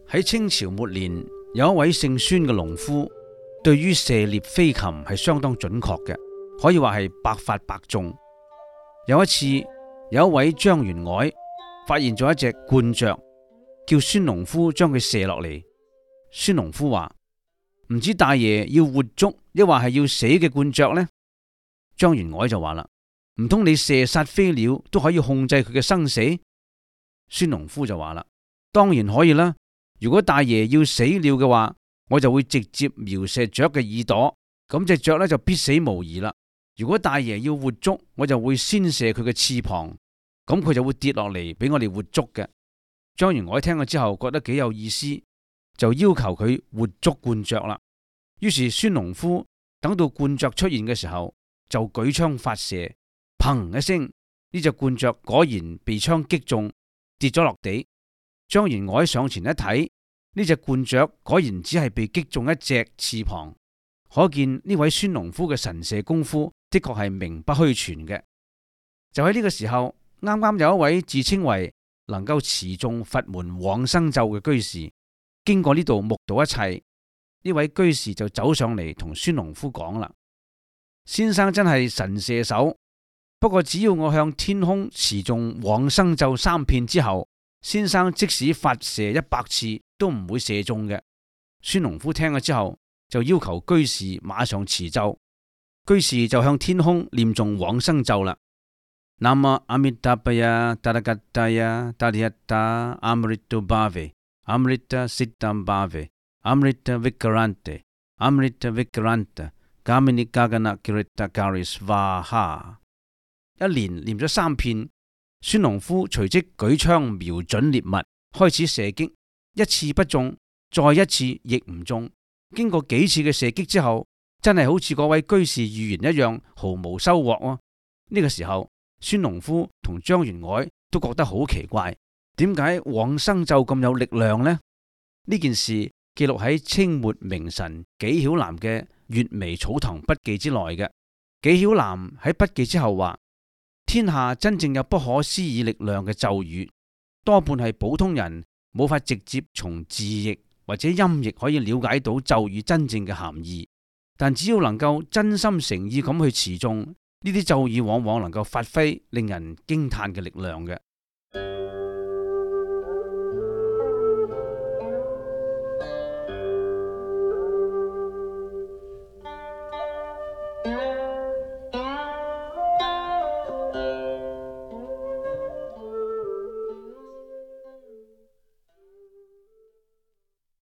喺清朝末年，有一位姓孫嘅農夫，對於射獵飛禽係相當準確嘅，可以話係百發百中。有一次，有一位張員外發現咗一隻冠雀，叫孫農夫將佢射落嚟。孫農夫話：唔知大爺要活捉，抑或係要死嘅冠雀呢？張員外就話啦：唔通你射殺飛鳥都可以控制佢嘅生死？孫農夫就話啦：當然可以啦。如果大爺要死了嘅話，我就會直接瞄射雀嘅耳朵，咁隻雀咧就必死無疑啦。如果大爺要活捉，我就會先射佢嘅翅膀，咁佢就會跌落嚟俾我哋活捉嘅。張員外聽咗之後覺得幾有意思，就要求佢活捉冠雀啦。於是孫農夫等到冠雀出現嘅時候，就舉槍發射，砰一聲，呢隻冠雀果然被槍擊中，跌咗落地。張員外上前一睇，呢隻冠雀果然只係被擊中一隻翅膀，可見呢位孫農夫嘅神射功夫的確係名不虛傳嘅。就喺呢個時候，啱啱有一位自稱為能夠持中佛門往生咒嘅居士，經過呢度目睹一切，呢位居士就走上嚟同孫農夫講啦：先生真係神射手，不過只要我向天空持中往生咒3遍之後，先生即使發射100次都唔會射中嘅。孫農夫聽咗之後，就要求居士馬上持咒。居士就向天空念誦往生咒啦。南無阿彌達巴呀達達吉達呀達利一達阿姆利多巴維阿姆利多悉達巴維阿姆利多維格蘭特阿姆利多維格蘭特加米尼加格納吉利達加里斯瓦哈。一連念咗3遍。孫農夫隨即舉槍瞄準獵物，開始射擊，一次不中，再一次亦唔中。經過幾次嘅射擊之後，真係好似嗰位居士預言一樣，毫無收穫啊。呢個時候，孫農夫同張員外都覺得好奇怪，點解往生咒咁有力量呢？呢件事記錄喺清末名臣紀曉嵐嘅《閱微草堂筆記》之內嘅。紀曉嵐喺筆記之後話：天下真正有不可思議力量嘅咒語，多半係普通人冇法直接從字譯或者音譯可以了解到咒語真正嘅含義。但只要能夠真心誠意咁去持誦，呢啲咒語往往能夠發揮令人驚嘆嘅力量嘅。